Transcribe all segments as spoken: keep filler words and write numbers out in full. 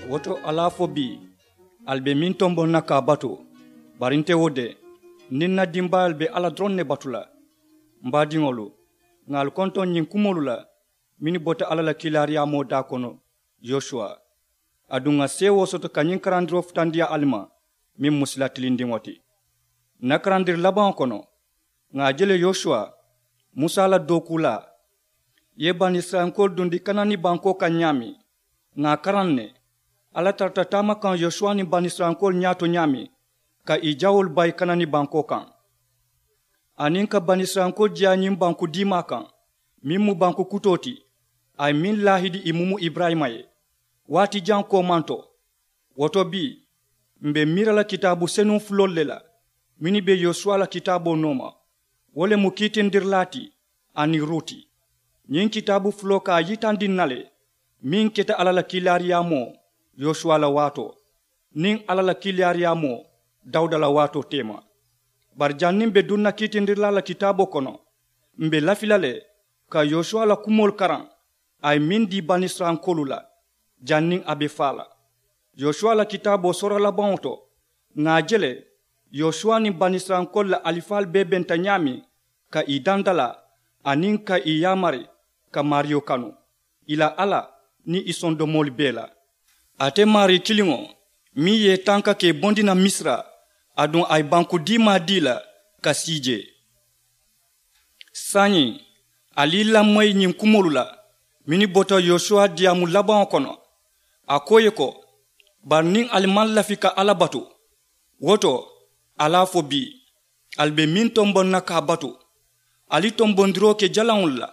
Wo to, ali a fo bii, ali be meŋ tomboŋ na ka a batu. Bari nte wo de, niŋ ǹ na dimbaayaalu be alla doroŋ ne batu la. M baadiŋolu, ŋà ali kontoŋ ñiŋ kumoolu la mennu bota alla la kiilaariyaamoo daa kono, yosuwa. Aduŋ ŋà seewoo soto ka ñiŋ karandiroo futandiyaa ali ma, meŋ mu sila tilindiŋo ti. Ǹ na karandiri labaŋo kono, ŋà a je le yosuwa, musa la dookuulaa, i ye banisirayilankoolu dundi kanani bankoo kaŋ ñaameŋ. Ŋà a karaŋ ne, alla tarata taama kaŋ yosuwa niŋ banisirayilankoolu ñaato ñaameŋ, ka ì jawoolu bayi kanani bankoo kaŋ, aniŋ ka banisirayilankoolu jiyaa ñiŋ banku diimaa kaŋ, meŋ mu banku kutoo ti, a ye meŋ laahidi ì mumu iburayima ye, waati jaŋ koomanto. Wo to bii, m̀ be miira la kitaabu senuŋ fuloolu le la, mennu be yosuwa la kitaaboo nooma. Wo le mu kiitindirilaa ti, aniŋ ruuti. Ñiŋ kitaabu fuloo ka a yitandi ǹ na le, meŋ keta alla la kiilaariyaamoo yosuwa la waatoo, niŋ alla la kiilaariyaamoo dawuda la waatoo teema. Bari janniŋ m̀ be duŋ na kiitindirilaa la kitaaboo kono, m̀ be lafi la le ka yosuwa la kumoolu karaŋ, a ye meŋ dii banisirayilankoolu la, janniŋ a be faa la. Yosuwa la kitaaboo soora labaŋo to, ŋà a je le, yosuwa niŋ banisirayilankoolu la alifaalu bee benta ñaameŋ, ka ì dandalaa, aniŋ ka ì yaamari ka maariyo kanu, ì la alla, niŋ ì sondomoolu bee la. Ate maarii kiliŋo, meŋ ye i tanka ka i bondi naŋ misira, aduŋ a ye banku diimaa dii i la ka sii jee. Saayiŋ, ali i lamoyi ñiŋ kumoolu la, mennu bota yosuwa diyaamu labaŋo kono. A ko i ye ko, bari niŋ ali maŋ lafi ka alla batu, wo to, ali a fo bii, ali be meŋ tomboŋ na ka a batu, ali tombondiroo ke jalaŋolu la.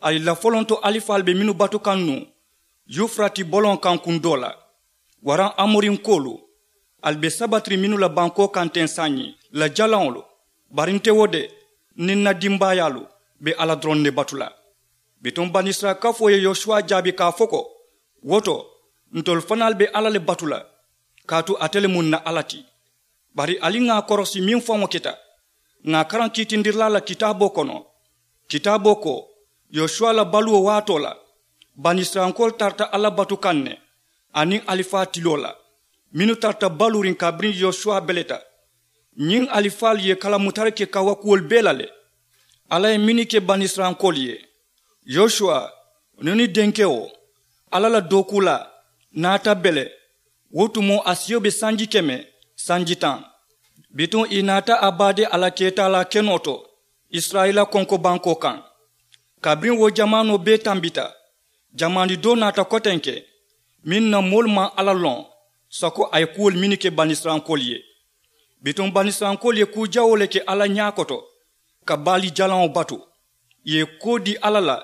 Ali la folonto alifaalu be mennu batu kaŋ nuŋ, yufurati boloŋo kaŋ kundoo la, waraŋ amorinkoolu, ali be sabatiri mennu la bankoo kaŋ teŋ saayiŋ, la jalaŋolu. Bari nte wo de, niŋ ǹ na dimbaayaalu be alla doroŋ ne batu la. Bituŋ banisirayila kafoo ye yosuwa jaabi ka a fo ko, wo to, ntolu fanaalu be alla le batu la, kaatu ate le mu ǹ na alla ti. Bari ali ŋà a korosi meŋ faŋo keta, ŋà a karaŋ kiitindirilaa la kitaaboo kono. Kitaaboo ko, yosuwa la baluwo waatoo la, banisirayilankoolu tarata alla batu kaŋ ne, aniŋ alifaa tiloo la, mennu tarata baluuriŋ kabiriŋ yosuwa beleta. Ñiŋ alifaalu ye kalamutari ke kawakuwolu bee la le. Alla ye mennu ke banisirayilankoolu ye, yosuwa, nuni denkewo, alla la dookuulaa, naata bele. Wo tumoo a siyo be sanji keme, sanji taŋ. Bituŋ ì naata a baade a la keetaalaa kenoo to, isirayila konkobankoo kaŋ. Kabiriŋ wo jamaanoo bee tambita, jamaani doo naata kotenke, meŋ na moolu maŋ alla loŋ, sako a ye kuwolu mennu ke banisirayilankoolu ye. Bituŋ banisirayilankoolu ye kuu jawoo le ke alla ñaa koto, ka baali jalaŋo batu. Ì ye koo dii alla la,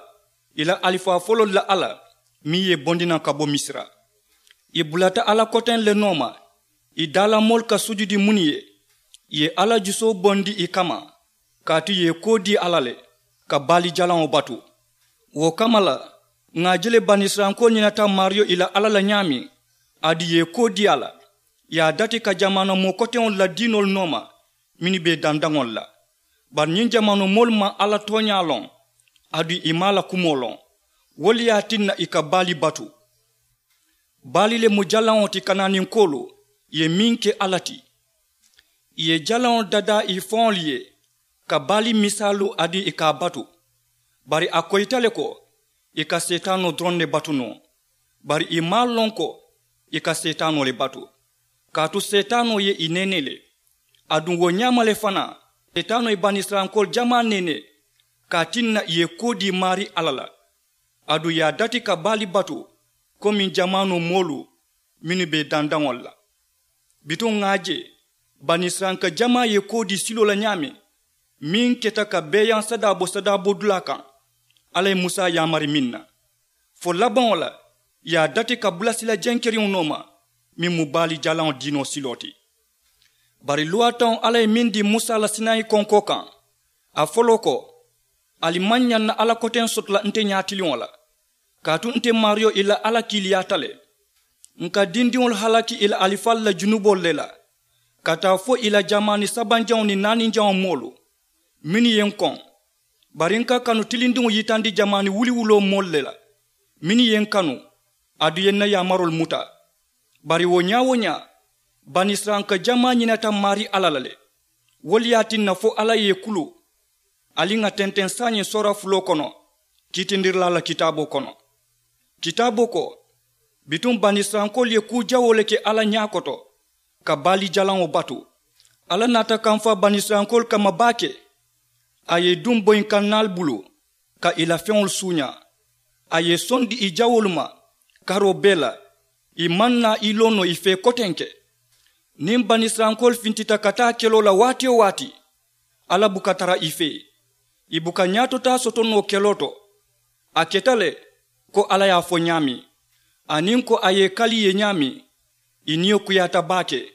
ì la alifaa foloolu la alla, meŋ ye ì bondi naŋ ka bo misira. Ì bulata alla koteŋ le nooma, ì daalamoolu ka sujudi muŋ ye, ì ye alla jusoo bondi ì kamma, kaatu ì ye koo dii alla le, ka baali jalaŋo batu. Wo kamma la, ŋà a je le banisirayilankoolu ñinata maariyo ì la alla la ñaameŋ, aduŋ ì ye koo dii a la, ì ye a dati ka jamaana moo koteŋolu la diinoolu nooma, mennu be ì dandaŋolu la. Bari ñiŋ jamaanoo moolu maŋ alla tooñaa loŋ, aduŋ ì maŋ a la kumoo loŋ. Wo le ye a tinna ì ka baali batu. Baali le mu jalaŋo ti kanaaninkoolu ye meŋ ke alla ti. Ì ye jalaŋo dadaa ì faŋolu ye, ka baali misaalu aduŋ ì ka a batu. Bari a koyita le ko, ì ka seetaanoo doroŋ ne batu noo. Bari ì maŋ a loŋ ko, ì ka seetaanoo le batu, kaatu seetaanoo ye ì neenee le. Aduŋ wo ñaama le fanaa, seetaanoo ye banisirayilankoolu jamaa neenee, ka a tinna ì ye koo dii maarii alla la, aduŋ ì ye a dati ka baali batu, komiŋ jamaanoo moolu mennu be ì dandaŋolu la. Bituŋ ŋà a je, banisirayilanka jamaa ye koo dii siloo la ñaameŋ, meŋ keta ka beeyaŋ sadaa bo sadaabodulaa kaŋ, alla ye musa yaamari meŋ na. Fo labaŋo la, ì ye a dati ka bula sila jenkeriŋo nooma, meŋ mu baali jalaŋo diinoo siloo ti. Bari luwaa taŋo alla ye meŋ dii musa la sinayi konkoo kaŋ, a foloo ko, ali maŋ ñaŋ na alla koteŋ soto la nte ñaatiliŋo la, kaatu nte maariyo ì la alla kiiliyaata le. Ǹ ka dindiŋolu halaki ì la alifaalu la junuboolu le la, ka taa fo ì la jamaani sabanjaŋo niŋ naaninjaŋo moolu, mennu ye n koŋ. Bari n ka kanu tilindiŋo yitandi jamaani wuliwuloo moolu le la, mennu ye n kanu, aduŋ ì ye n na yaamaroolu muta. Bari wo ñaa-wo-ñaa, banisirayilanka jamaa ñinata maarii alla la le. Wo le ye a tinna fo alla ye i kulu. Ali ŋà tenteŋ saayiŋ soora fuloo kono, kiitindirilaa la kitaaboo kono. Kitaaboo ko, bituŋ banisirayilankoolu ye kuu jawoo le ke alla ñaa koto, ka baali jalaŋo batu. Alla naata kamfaa banisirayilankoolu kamma baake. A ye i duŋ boyinkannaali bulu, ka ì la feŋolu suuñaa. A ye i sondi ì jawoolu ma karoo bee la. Ì maŋ naa ì loo noo ì fee kotenke. Niŋ banisirayilankoolu fintita ka taa keloo la waati-wo-waati, alla buka tara ì fee. Ì buka ñaatotaa soto noo keloo to. A keta le ko alla ye a fo ñaameŋ, aniŋ ko a ye ì kali ì ye ñaameŋ. Ì niyo kuyaata baake.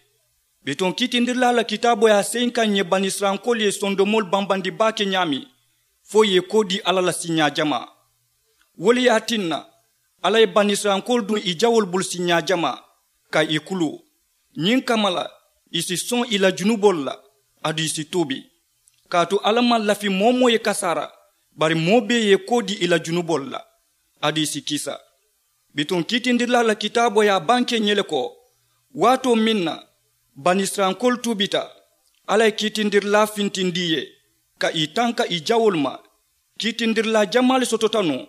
Bituŋ kiitindirilaa la kitaaboo ye a seyinkaŋ ǹ ye banisirayilankoolu ye sondomoolu bambandi baake ñaameŋ, fo ì ye i koo dii alla la siiñaa jamaa. Wo le ye a tinna, alla ye banisirayilankoolu duŋ ì jawoolu bulu siiñaa jamaa, ka ì kuluu. Ñiŋ kamma la, ì si soŋ ì la junuboolu la, aduŋ ì si tuubi. Kaatu alla maŋ lafi moo-wo-moo ye kasaara, bari moo bee ye i koo dii ì la junuboolu la, aduŋ ì si kisa. Bituŋ kiitindirilaa la kitaaboo ye a bankee ǹ ye le ko, waatoo meŋ na banisirayilankoolu tuubita, alla ye kiitindirilaa fintindi ì ye, ka ì tanka ì jawoolu ma. Kiitindirilaa jamaa le sotota nuŋ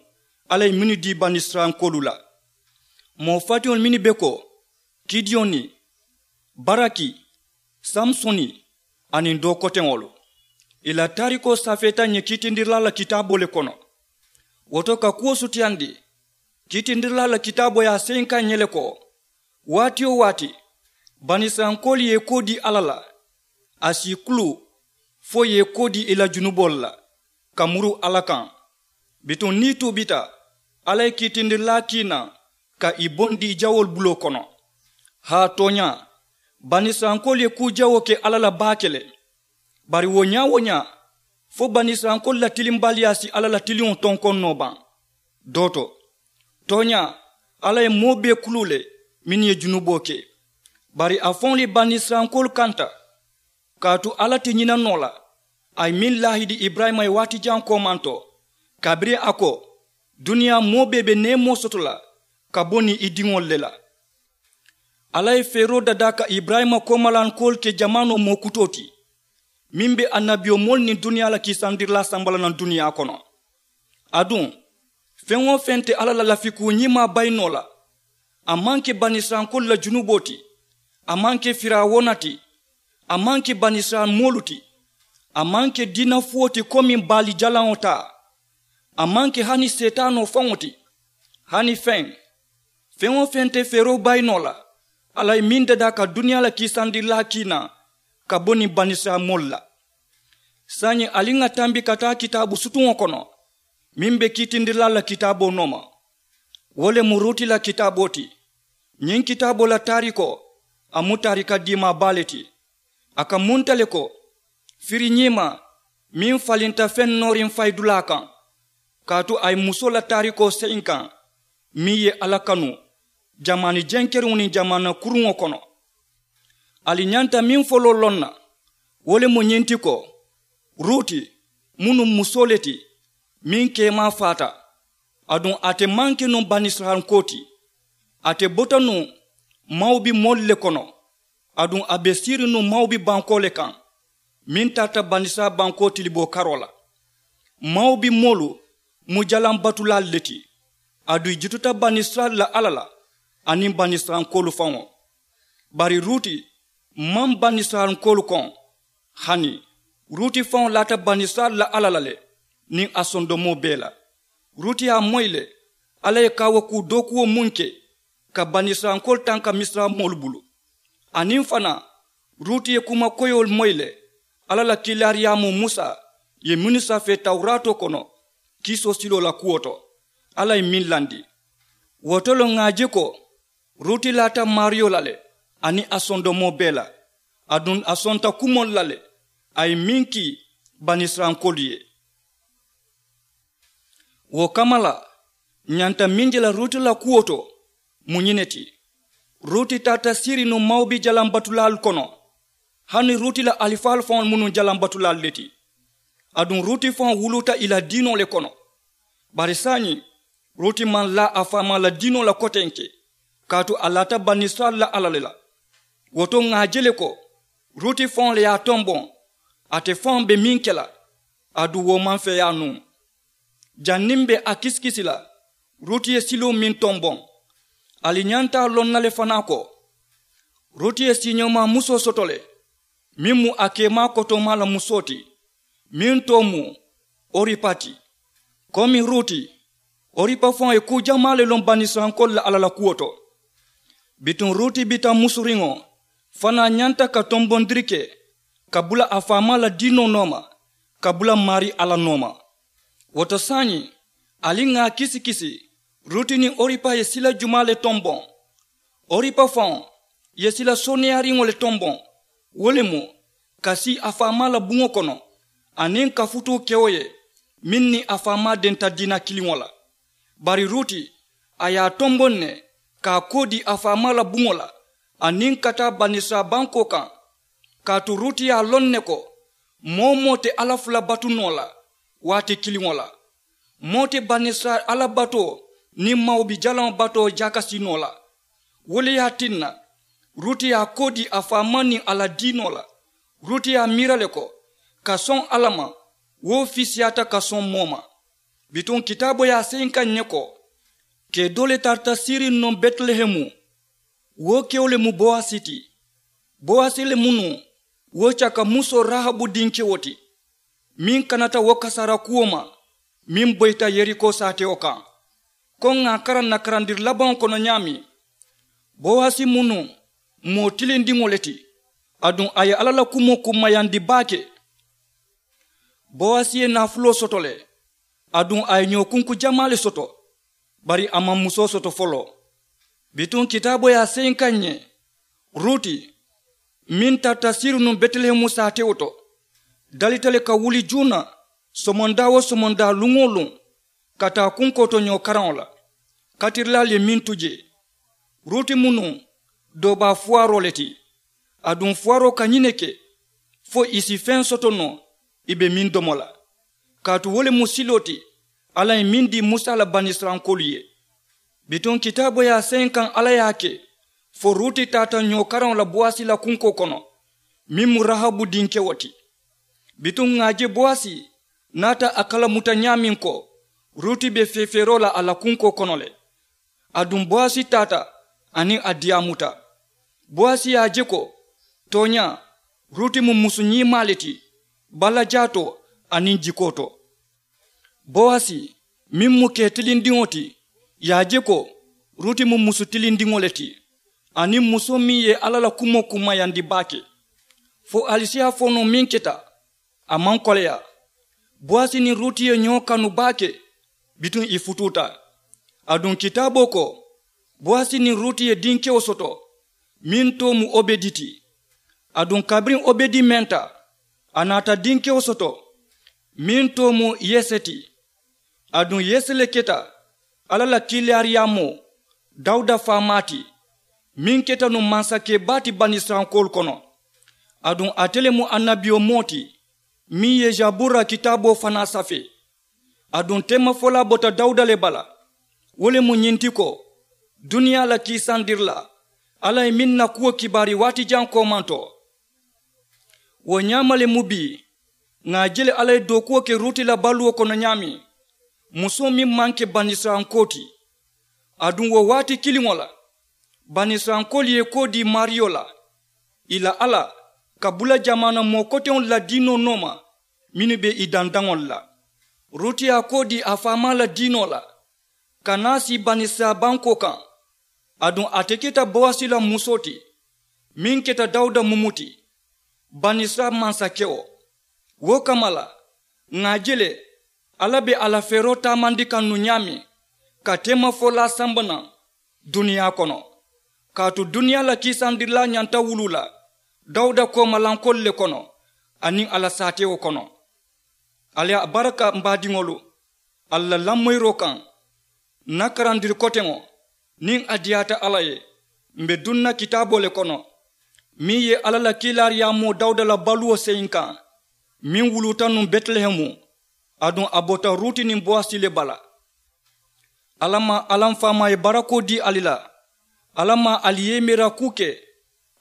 alla ye mennu dii banisirayilankoolu la. Moo fatiŋolu mennu be ko, kidiyoni, baraki, samusoni, aniŋ doo koteŋolu, ì la taarikoo safeeta ǹ ye kiitindirilaa la kitaaboo le kono. Wo to ka kuwo sutiyandi, kiitindirilaa la kitaaboo ye a seyinkaŋ ǹ ye le ko, waati-wo-waati banisirayilankoolu ye i koo dii alla la, a si ì kuluu, fo ì ye i koo dii ì la junuboolu la, ka muru alla kaŋ. Bituŋ niŋ ì tuubita, alla ye kiitindirilaa kii naŋ, ka ì bondi ì jawoolu buloo kono. Haa tooñaa, banisirayilankoolu ye kuu jawoo ke alla la baake le. Bari wo ñaa-wo-ñaa, fo banisirayilankoolu la tilimbaaliyaa si alla la tiliŋo tonkoŋ noo baŋ? Doo to, tooñaa, alla ye moo bee kuluu le, mennu ye junuboo ke. Bari a faŋolu ye banisirayilankoolu kanta. Kaatu alla te ñina noo la, a ye meŋ laahidi iburayima ye waati jaŋ koomaŋ to, kabiriŋ a ko, duniyaa moo bee be neemoo soto la ka bo niŋ i diŋolu le la. Alla ye feeroo dadaa ka iburayima koomalankoolu ke jamaanoo moo kutoo ti, meŋ be annabiyomoolu niŋ duniyaa la kiisandirilaa samba la naŋ duniyaa kono. Aduŋ, feŋ-wo-feŋ te alla la lafikuu ñimaa bayi noo la. A maŋ ke banisirayilankoolu la junuboo ti. A maŋ ke firawuna ti. A maŋ ke banisirayila moolu ti. A maŋ ke diina fuwo ti komiŋ baali jalaŋo taa. A maŋ ke hani seetaanoo faŋo ti. Hani feŋ, feŋ-wo-feŋ te feeroo bayi noo la, alla ye meŋ dadaa ka duniyaa la kiisandirilaa kii naŋ ka bo niŋ banisirayila moolu la. Saayiŋ ali ŋà tambi ka taa kitaabu sutuŋo kono, meŋ be kiitindirilaa la kitaaboo nooma. Wo le mu ruuti la kitaaboo ti. Ñiŋ kitaaboo la taarikoo, a mu taarika diimaa baa le ti. A ka munta le ko, firiñiimaa meŋ falinta feŋ nooriŋ fayidulaa kaŋ. Kaatu a ye musoo la taarikoo seyinkaŋ, meŋ ye alla kanu jamaani jenkeriŋo niŋ jamaana kuruŋo kono. Ali ñanta meŋ foloo loŋ na, wo le mu ñiŋ ti ko, ruuti mu nuŋ musoo le ti, meŋ keemaa faata. Aduŋ ate maŋ ke nuŋ banisirayilankoo ti. Ate bota nuŋ mawubi moolu le kono. Aduŋ a be siiriŋ nuŋ mawubi bankoo le kaŋ, meŋ tarata banisirayila bankoo tiliboo karoo la. Mawubi moolu mu jalaŋ batulaalu le ti. Aduŋ ì jututa banisirayila la alla la, aniŋ banisirayilankoolu faŋo. Bari ruuti maŋ banisirayilankoolu koŋ. Hani ruuti faŋo laata banisirayila la alla la le, niŋ a sondomoo bee la. Ruuti ye a moyi le, alla ye kaawakuu dookuwo muŋ ke ka banisirayilankoolu tanka misira moolu bulu. Aniŋ fanaa, ruuti ye kuma koyoolu moyi le, alla la kiilaariyaamoo musa ye mennu safee tawuraatoo kono, kiisoo siloo la kuwo to, alla ye meŋ landi. Wo to le ŋà a je ko, ruuti laata maariyo la le, aniŋ a sondomoo bee la. Aduŋ a sonta kumoolu la le, a ye meŋ kii banisirayilankoolu ye. Wo kamma la, ǹ ñanta meŋ je la ruuti la kuwo to, mu ñiŋ ne ti. Ruuti tarata siiriŋ nuŋ mawubi jalaŋ batulaalu kono. Hani ruuti la alifaalu faŋolu mu nuŋ jalaŋ batulaalu le ti. Aduŋ ruuti faŋo wuluuta ì la diinoo le kono. Bari saayiŋ, ruuti maŋ laa a faamaa la diinoo la kotenke. kaatu a laata banisirayila la alla le la. Wo to ŋà a je le ko ruti faŋo le ye a tomboŋ, ate faŋo be meŋ ke la aduŋ wo maŋ feeyaa nuŋ. Janniŋ be a kisikisi la, ruti ye siloo meŋ tomboŋ. Ali ñanta a loŋ na le fanaa ko ruti ye siiñoomaa musoo soto le, meŋ mu a keemaa kotoomaa la musoo ti, meŋ too mu oripa ti. Komi ruti, oripa faŋo ye kuu jamaa le loŋ banisirayilankoolu la alla la kuwo to. Bituŋ ruti bita musuriŋo fanaa ñanta ka tombondiri ke ka bula a faamaa la diinoo nooma, ka bula maarii alla nooma. Wo to saayiŋ, ali ŋà a kisikisi, ruti niŋ oripa ye sila jumaa le tomboŋ? Oripa faŋo ye sila sooneeyaariŋo le tomboŋ, wo le mu ka sii a faamaa la buŋo kono, aniŋ ka futuu kewo ye meŋ niŋ a faamaa denta diina kiliŋo la. Bari ruti, a ye a tomboŋ ne ka a koo dii a faamaa la buŋo la, aniŋ ka taa banisirayila bankoo kaŋ. Kaatu ruti ye a loŋ ne ko moo-wo-moo te alla fula batu noo la waati kiliŋo la. Moo te banisirayila alla batoo niŋ mawubi jalaŋo batoo jaakasi noo la. Wo le ye a tinna ruti ye a koo dii a faamaa niŋ a la diinoo la. Ruti ye a miira le ko ka soŋ alla ma, wo fiisiyaata ka soŋ moo ma. Bituŋ kitaaboo ye a seyinkaŋ ǹ ye ko, kee doo le tarata siiriŋ nuŋ betilehemu. Wo kewo le mu bowasi ti. Bowasi le mu nuŋ wo caka musoo rahabu dinkewo ti, meŋ kanata wo kasaara kuwo ma meŋ boyita yeriko saatewo kaŋ. Ko ŋà a karaŋ ǹ na karandiri labaŋo kono ñaameŋ, bowasi mu nuŋ moo tilindiŋo le ti, aduŋ a ye alla la kumoo kummayandi baake. Bowasi ye naafuloo soto le, aduŋ a ye ñookunku jamaa le soto, bari a maŋ musoo soto foloo. Bituŋ kitaaboo ye a seyinkaŋ ǹ ye, ruti meŋ tarata siiriŋ nuŋ betilehemu saatewo to, dalita le ka wuli juuna somondaa-wo-somondaa luŋ-wo-luŋ ka taa kunkoo to ñoo karaŋo la. Katirilaalu ye meŋ tu jee, ruti mu nuŋ doobaa fuwaaroo le ti. Aduŋ fuwaaroo ka ñiŋ ne ke fo ì si feŋ soto noo ì be meŋ domo la. Kaatu wo le mu siloo ti alla ye meŋ dii musa la banisirayilankoolu ye. Bituŋ kitaaboo ye a seyinkaŋ alla ye a ke fo ruti taata ñoo karaŋo la bowasi la kunkoo kono, meŋ mu rahabu dinkewo ti. Bituŋ ŋà a je bowasi naata a kalamuta ñaameŋ ko ruti be feefeeroo la a la kunkoo kono le. Aduŋ bowasi taata aniŋ a diyaamuta. Bowasi ye a je ko tooñaa, ruti mu musu ñiimaa le ti, balajaatoo aniŋ jikoo to. Bowasi meŋ mu kee tilindiŋo ti, ye a je ko ruti mu musu tilindiŋo le ti, aniŋ musoo meŋ ye alla la kumoo kummayandi baake. Fo ali si a fo noo meŋ keta, a maŋ koleyaa. Bowasi niŋ ruti ye ñoo kanu baake, bituŋ ì futuuta. Aduŋ kitaaboo ko bowasi niŋ ruti ye dinkewo soto, meŋ too mu obedi ti. Aduŋ kabiriŋ obedi menta, a naata dinkewo soto, meŋ too mu yese ti. Aduŋ yese le keta alla la kiilaariyaamoo dawuda faamaa ti, meŋ keta nuŋ mansakee baa ti banisirayilankoolu kono. Aduŋ ate le mu annabiyomoo ti, meŋ ye jabuura kitaaboo fanaa safee. Aduŋ teemafolaa bota dawuda le bala, wo le mu ñiŋ ti ko duniyaa la kiisandirilaa, alla ye meŋ na kuwo kibaari waati jaŋ koomantoo. Wo ñaama le mu bii, ŋà a je le alla ye dookuwo ke ruti la baluwo kono ñaameŋ, musoo meŋ maŋ ke banisirayilankoo ti. Aduŋ wo waati kiliŋo la, banisirayilankoolu ye i koo dii maariyo la, ì la alla, ka bula jamaana moo koteŋolu la diinoo nooma mennu be ì dandaŋolu la. Ruti ye a koo dii a faamaa la diinoo la, ka naa sii banisirayila bankoo kaŋ. Aduŋ ate keta bowasi la musoo ti, meŋ keta dawuda mumu ti, banisirayila mansakewo. Wo kamma la, ŋà a je le alla be a la feeroo taamandi kaŋ nuŋ ñaameŋ, ka teemafolaa samba naŋ duniyaa kono. Kaatu duniyaa la kiisandirilaa ñanta wuluu la dawuda koomalankoolu le kono, aniŋ a la saatewo kono. Ali a baraka m baadiŋolu, ali la lamoyiroo kaŋ. N na karandiri koteŋo, niŋ a diyaata alla ye, m be duŋ na kitaaboo le kono, meŋ ye alla la kiilaariyaamoo dawuda la baluwo seyinkaŋ, meŋ wuluuta nuŋ betilehemu. Aduŋ a bota ruti niŋ bowasi le bala. Alla ma alla m faamaa ye barakoo dii ali la, Alla maŋ ali yee miira kuu ke.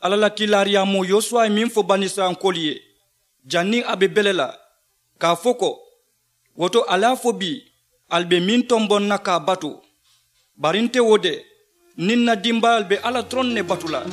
Alla la kiilaariyaamoo yosuwa ye meŋ fo banisirayilankoolu ye janniŋ a be bele la, ka a fo ko, wo to ali a fo bii ali be meŋ tomboŋ na ka a batu. Bari nte wo de, niŋ n na dimbaayaalu be alla doroŋ ne batu la.